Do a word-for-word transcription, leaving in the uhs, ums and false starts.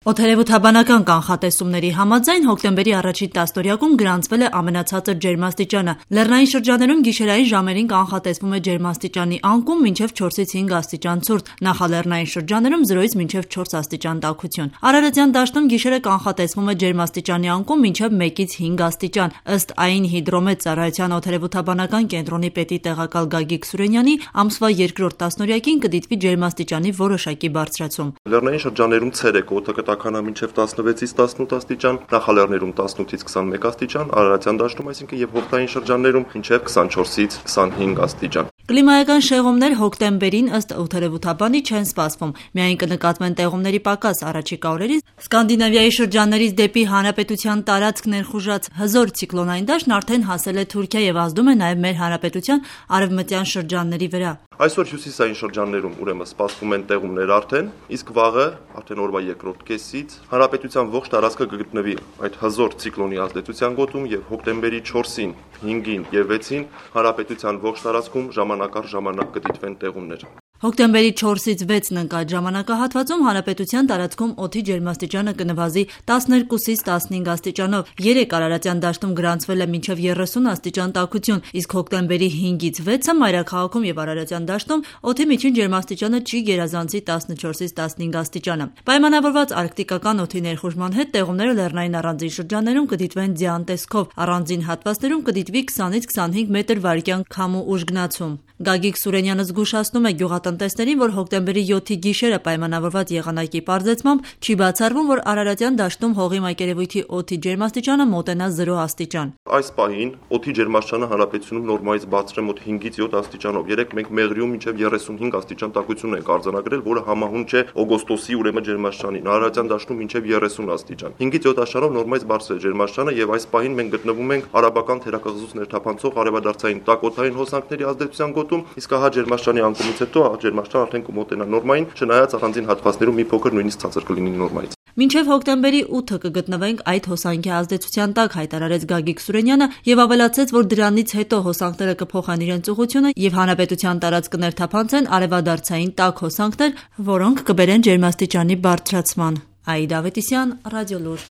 Օդերևութաբանական կանխատեսումների համաձայն հոկտեմբերի առաջին տասնօրյակում գրանցվել է ամենացածր ջերմաստիճանը։ Լեռնային շրջաներում գիշերային ժամերին կանխատեսվում է ջերմաստիճանի անկում մինչև չորսից հինգ աստիճան ցուրտ, նախալեռնային շրջաներում զրոյից մինչև չորս աստիճան տաքություն։ Արարատյան դաշտում գիշերը կանխատեսվում է ջերմաստիճանի անկում մինչև մեկից հինգ աստիճան։ Ըստ ԱԻՆ հիդրոմետ ծառայության օդերևութաբանական կենտրոնի պետի տեղակալ Գագիկ Սուրենյանի, ամսվա երկրորդ տասնօրյակին կդիտվի ջերմաստիճանի որոշակի բարձրացում։ Լեռնային շրջաներում ցերեկ օդը տաքանա մինչև տասնվեցից տասնութ աստիճան, նախալեռներում տասնութից քսանմեկ աստիճան, Արարատյան դաշտում, այսինքն եւ հովտային շրջաններում մինչև քսանչորսից քսանհինգ աստիճան։ Կլիմայական շեղումներ հոկտեմբերին ըստ օդերևութաբանի չեն սպասվում, միայն կնկատվեն տեղումների պակաս առաջիկա օրերին։ Սկանդինավիայի շրջաններից դեպի հանրապետության տարածք ներխուժած հզոր ցիկլոնային դաշտն արդեն հասել է Թուրքիա եւ ազդում է նաեւ մեր հանրապետության արևմտյան շրջանների վրա։ Այսօր հյուսիսային շրջաններում ուրեմն սպասվում են տեղումներ արդեն, իսկ վաղը արդեն օրվա երկրորդ կեսից հանրապետության ողջ տարածքը կգտնվի այդ հզոր ցիկլոնի ազդեցության գոտում եւ հոկտեմբերի չորսին, հինգին եւ վեցին հանրապետության ողջ տարածքում ժամանակ առ ժամանակ կդիտվեն տեղումներ։ Հոկտեմբերի չորսից վեցն ընկած ժամանակահատվածում հանրապետության տարածքում օդի ջերմաստիճանը կնվազի տասներկուսից տասնհինգ աստիճանով։ Երեկ Արարատյան դաշտում գրանցվել է մինչև երեսուն աստիճան տաքություն, իսկ հոկտեմբերի հինգից վեցը մայրաքաղաքում եւ Արարատյան դաշտում օդի միջին ջերմաստիճանը չի գերազանցի տասնչորսից տասնհինգ աստիճանը։ Պայմանավորված արկտիկական օդի ներխուժման հետ տեղումները լեռնային առանձին շրջաններում կդիտվեն ձյան տեսքով, առանձին հատվածներում կդիտվի քսանից քսանհինգ մետր վարկյան քամու ուժգնացում։ Գագիկ Սուրենյանը զգուշացնում է գյուղատնտեսներին, որ հոկտեմբերի յոթի գիշերը պայմանավորված եղանակի պարզեցմամբ չի բացառվում, որ Արարատյան դաշտում հողի մակերևույթի օդի ջերմաստիճանը մոտենա զրո աստիճան։ Այս պահին օդի ջերմաստիճանը հանրապետությունում նորմայից բարձր է մոտ հինգից յոթ աստիճանով։ Երեք մենք Մեղրիում մինչև երեսունհինգ աստիճան տաքություն ենք արձանագրել, որը համահունչ է օգոստոսի ուրեմն ջերմաստիճանին։ Արարատյան դաշտում մինչև երեսուն աստիճան։ հինգից յոթ աստիճանով նորմայից բարձր է ջերմաստիճանը եւ այս պահին մենք գտնվում ենք արաբական թերակղզուց ներթափանցող արևադարձային տաքօդային հոսանքների ազդեցության գոտում, իսկ ահա ջերմաստիճանի անկումից հետո ջերմաստիճանը արդեն կմոտենա նորմային, չնայած առանձին հատվածներում մի փոքր նույնիսկ ցածր կլինի նորմայից։ Մինչև հոկտեմբերի ութը կգտնվենք այդ հոսանքի ազդեցության տակ, հայտարարեց Գագիկ Սուրենյանը եւ ավելացրեց, որ դրանից հետո հոսանքները կփոխեն իրենց ուղղությունը եւ հանրապետության տարածք կներթափանցեն արևադարձային տաք հոսանքներ, որոնք կբերեն ջերմաստիճանի բարձրացման։ Աիդա Ավետիսյան, Ռադիոլուր։